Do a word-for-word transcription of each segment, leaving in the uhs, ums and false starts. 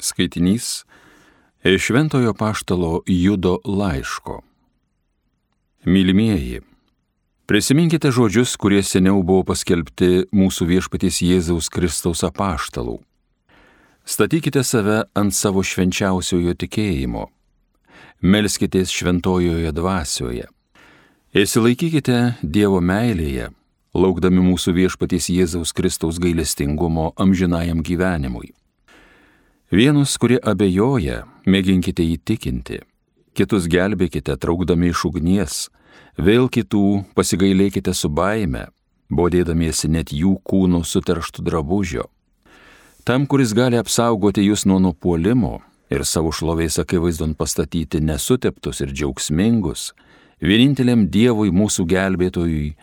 Skaitinys iš Šventojo apaštalo Judo laiško. Mylimieji, prisiminkite žodžius, kurie seniau buvo paskelbti mūsų viešpaties Jėzaus Kristaus apaštalų. Statykite save ant savo švenčiausiojo tikėjimo. Melskitės šventojoje dvasioje. Įsilaikykite Dievo meilėje, laukdami mūsų viešpaties Jėzaus Kristaus gailestingumo amžinajam gyvenimui. Vienus, kurie abejoja, mėginkite įtikinti, kitus gelbėkite traukdami iš ugnies, vėl kitų pasigailėkite su baime, bodėdamiesi net jų kūnų suterštų drabužio. Tam, kuris gali apsaugoti jūs nuo nupuolimo ir savo šlovės akivaizdon pastatyti nesuteptus ir džiaugsmingus, vieninteliam Dievui mūsų gelbėtojui,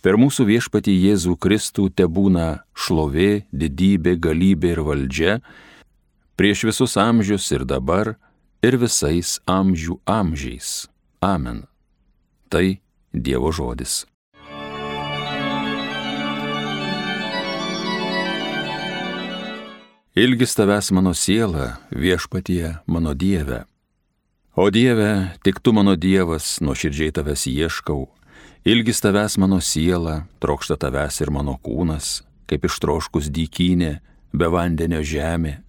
per mūsų viešpatį Jėzų Kristų tebūna šlovė, didybė, galybė ir valdžia, prieš visus amžius ir dabar, ir visais amžių amžiais. Amen. Tai Dievo žodis. Ilgis tavęs mano siela, viešpatie mano Dieve. O Dieve, tik tu mano Dievas, nuoširdžiai tavęs ieškau. Ilgis tavęs mano siela, trokšta tavęs ir mano kūnas, kaip ištroškus dykynė, be vandenio žemė.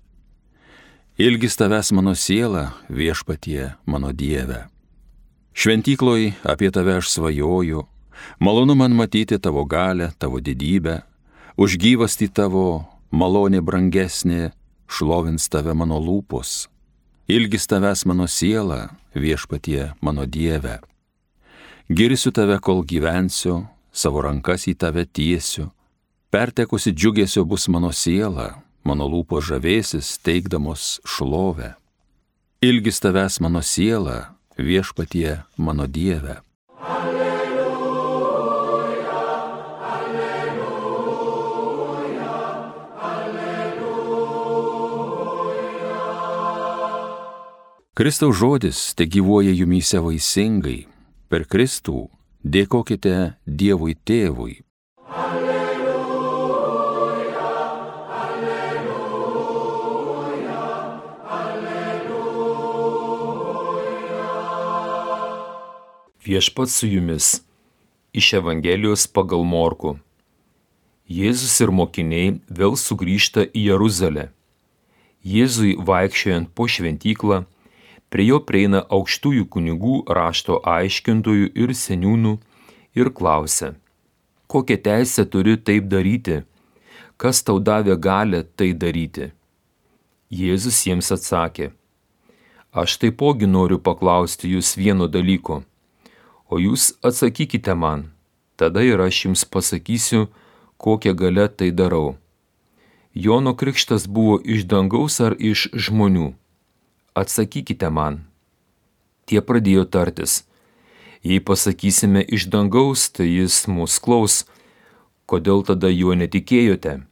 Ilgis tavęs mano siela, viešpatie mano Dieve. Šventykloj apie tave aš svajoju, malonu man matyti tavo galę, tavo didybę, už gyvastį tavo malonė brangesnė, šlovins tave mano lūpos. Ilgis tavęs mano siela, viešpatie mano Dieve. Girsiu tave, kol gyvensiu, savo rankas į tave tiesiu. Pertekusi džiugesio bus mano siela, mano lūpos žavėsis, teikdamos šlovę. Ilgis tavęs mano siela, viešpatie mano Dieve. Alleluja, alleluja, alleluja. Kristaus žodis te gyvuoja jumyse vaisingai. Per Kristų dėkokite Dievui Tėvui. Alleluja, alleluja, alleluja. Viešpats su jumis. Iš Evangelijos pagal Morkų. Jėzus ir mokiniai vėl sugrįžta į Jeruzalę. Jėzui vaikščiojant po šventyklą, prie jo prieina aukštųjų kunigų, rašto aiškintojų ir seniūnų ir klausia: kokią teisę turi taip daryti? Kas tau davė galią tai daryti? Jėzus jiems atsakė: aš taipogi noriu paklausti jūs vieno dalyko, o jūs atsakykite man, tada ir aš jums pasakysiu, kokią galią tai darau. Jono krikštas buvo iš dangaus ar iš žmonių? Atsakykite man. Tie pradėjo tartis: jei pasakysime iš dangaus, tai jis mus klaus, kodėl tada juo netikėjote?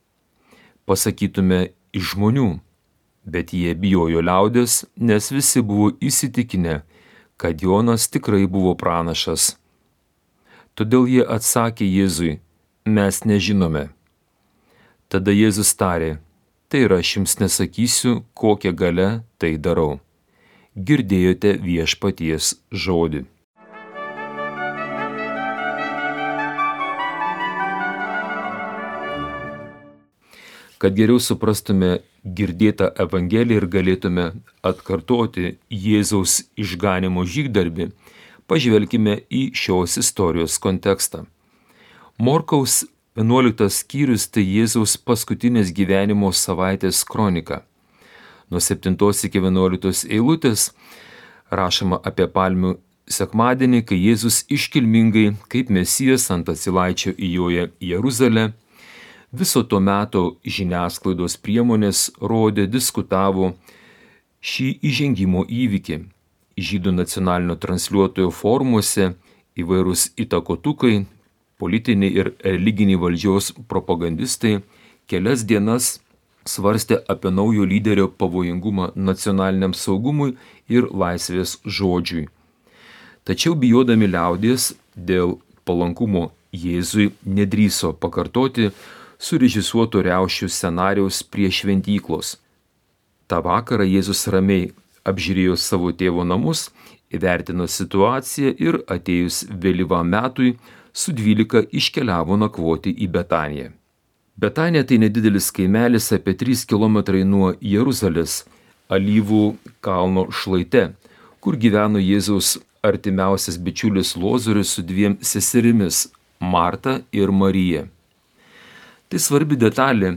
Pasakytume iš žmonių, bet jie bijojo liaudės, nes visi buvo įsitikinę, kad Jonas tikrai buvo pranašas. Todėl jie atsakė Jėzui: mes nežinome. Tada Jėzus tarė: tai ir aš jums nesakysiu, kokią galią tai darau. Girdėjote viešpaties žodį. Kad geriau suprastume girdėtą Evangeliją ir galėtume atkartoti Jėzaus išganymo žygdarbį, pažvelkime į šios istorijos kontekstą. Morkaus vienuoliktas skyrius tai Jėzaus paskutinės gyvenimo savaitės kronika. Nuo septintos iki vienuoliktos eilutės rašoma apie palmių sekmadienį, kai Jėzus iškilmingai kaip Mesijas ant asilaičio įjoja į Jeruzalę. Viso to meto žiniasklaidos priemonės rodė, diskutavo šį įžengimo įvykį. Žydų nacionalinio transliuotojo forumuose įvairūs įtakotukai, politiniai ir religiniai valdžios propagandistai kelias dienas svarstė apie naujo lyderio pavojingumą nacionaliniam saugumui ir laisvės žodžiui. Tačiau bijodami liaudies dėl palankumo Jėzui nedrįso pakartoti surežisuoto riaušių scenarijaus prie šventyklos. Ta vakarą Jėzus ramiai apžiūrėjo savo tėvo namus, įvertino situaciją ir atėjus vėlyvam metui su dvylika iškeliavo nakvoti į Betaniją. Betanija tai nedidelis kaimelis apie trys kilometrai nuo Jeruzalės, Alyvų kalno šlaite, kur gyveno Jėzaus artimiausias bičiulis Lozorius su dviem seserimis – Marta ir Marija. Tai svarbi detalė,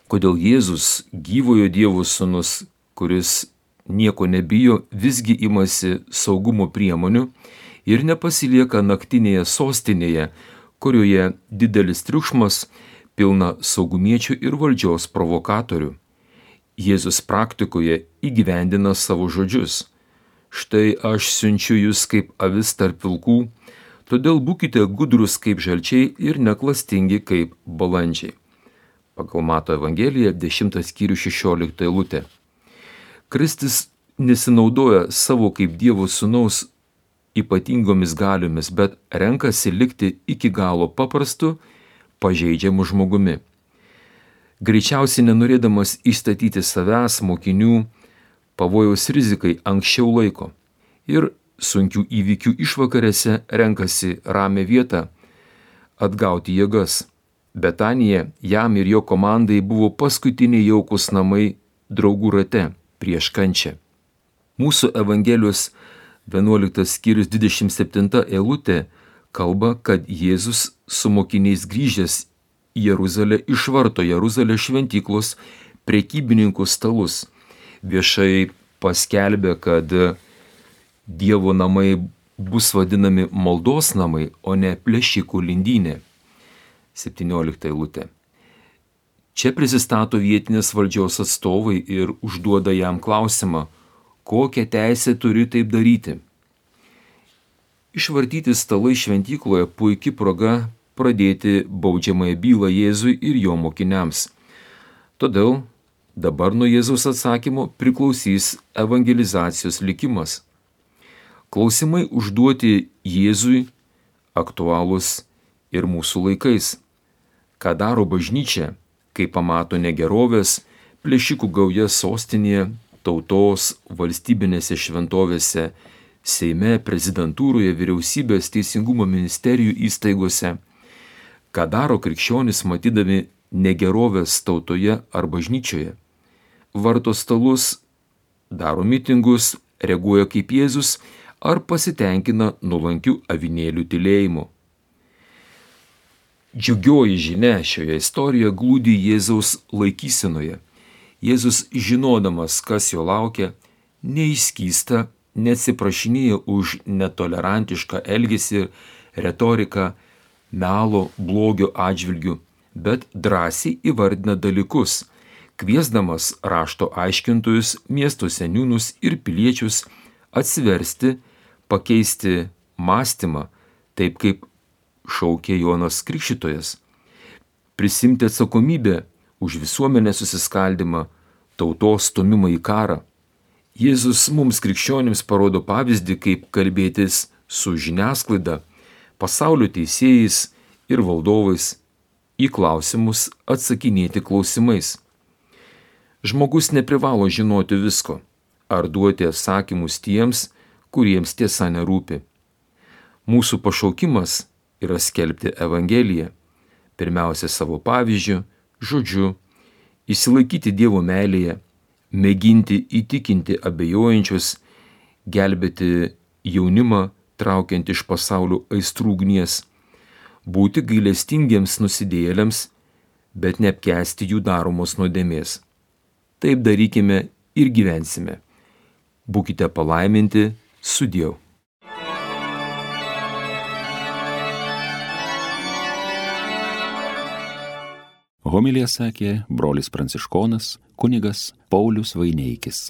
kodėl Jėzus, gyvojo Dievo sūnus, kuris nieko nebijo, visgi imasi saugumo priemonių ir nepasilieka naktinėje sostinėje, kurioje didelis triukšmas, pilna saugumiečių ir valdžios provokatorių. Jėzus praktikoje įgyvendina savo žodžius. Štai aš siunčiu jūs kaip avis tarp vilkų, todėl būkite gudrus kaip žalčiai ir neklastingi kaip balandžiai. Pagal Mato Evangeliją dešimtas skyrius šešiolikta eilutė. Kristus nesinaudoja savo kaip Dievo sūnaus ypatingomis galiomis, bet renkasi likti iki galo paprastu, pažeidžiamu žmogumi. Greičiausiai nenorėdamas įstatyti savęs mokinių pavojaus rizikai anksčiau laiko ir sunkių įvykių išvakarėse renkasi ramią vietą atgauti jėgas. Betanija jam ir jo komandai buvo paskutiniai jaukus namai draugų rate prieš kančią. Mūsų Evangelijos vienuoliktas skyrius dvidešimt septinta eilutė kalba, kad Jėzus su mokiniais grįžęs į Jeruzalę išvarto Jeruzalės šventyklos prekybininkų stalus. Viešai paskelbė, kad Dievo namai bus vadinami maldos namai, o ne plėšikų lindynė. septyniolikta eilutė. Čia prisistato vietinės valdžios atstovai ir užduoda jam klausimą, kokią teisę turi taip daryti. Išvartyti stalai šventykloje puikia proga pradėti baudžiamąją bylą Jėzui ir jo mokiniams. Todėl dabar nuo Jėzaus atsakymo priklausys evangelizacijos likimas. Klausimai užduoti Jėzui aktualūs ir mūsų laikais. Ką daro bažnyčia, kai pamato negerovės, plėšikų gaujas sostinėje, tautos, valstybinėse šventovėse, Seime, prezidentūroje, vyriausybės, teisingumo ministerijų įstaigose. Ką daro krikščionys matydami negerovės tautoje ar bažnyčioje? Varto stalus, daro mitingus, reaguoja kaip Jėzus ar pasitenkina nuolankių avinėlių tylėjimu. Džiugioji žinia šioje istorijoje glūdi Jėzaus laikysenoje. Jėzus, žinodamas, kas jo laukia, neįskysta, neatsiprašinėja už netolerantišką elgesį, retoriką, melo, blogio atžvilgių, bet drąsiai įvardina dalykus, kviesdamas rašto aiškintojus, miesto seniūnus ir piliečius atsiversti, pakeisti mąstymą, taip kaip šaukė Jonas Krikštytojas, prisimti atsakomybę už visuomenės susiskaldymą, tautos stumimą į karą. Jėzus mums krikščionims parodo pavyzdį, kaip kalbėtis su žiniasklaida, pasaulio teisėjais ir valdovais, į klausimus atsakinėti klausimais. Žmogus neprivalo žinoti visko ar duoti atsakymus tiems, kuriems tiesa nerūpi. Mūsų pašaukimas yra skelbti Evangeliją, pirmiausia savo pavyzdžiu, žodžiu, įsilaikyti Dievo meilėje, mėginti įtikinti abejojančius, gelbėti jaunimą, traukiant iš pasaulio aistrų ugnies, būti gailestingiems nusidėjėliams, bet neapkęsti jų daromos nuodėmės. Taip darykime ir gyvensime. Būkite palaiminti, sudieu. Homiliją sakė brolis pranciškonas kunigas Paulius Vaineikis.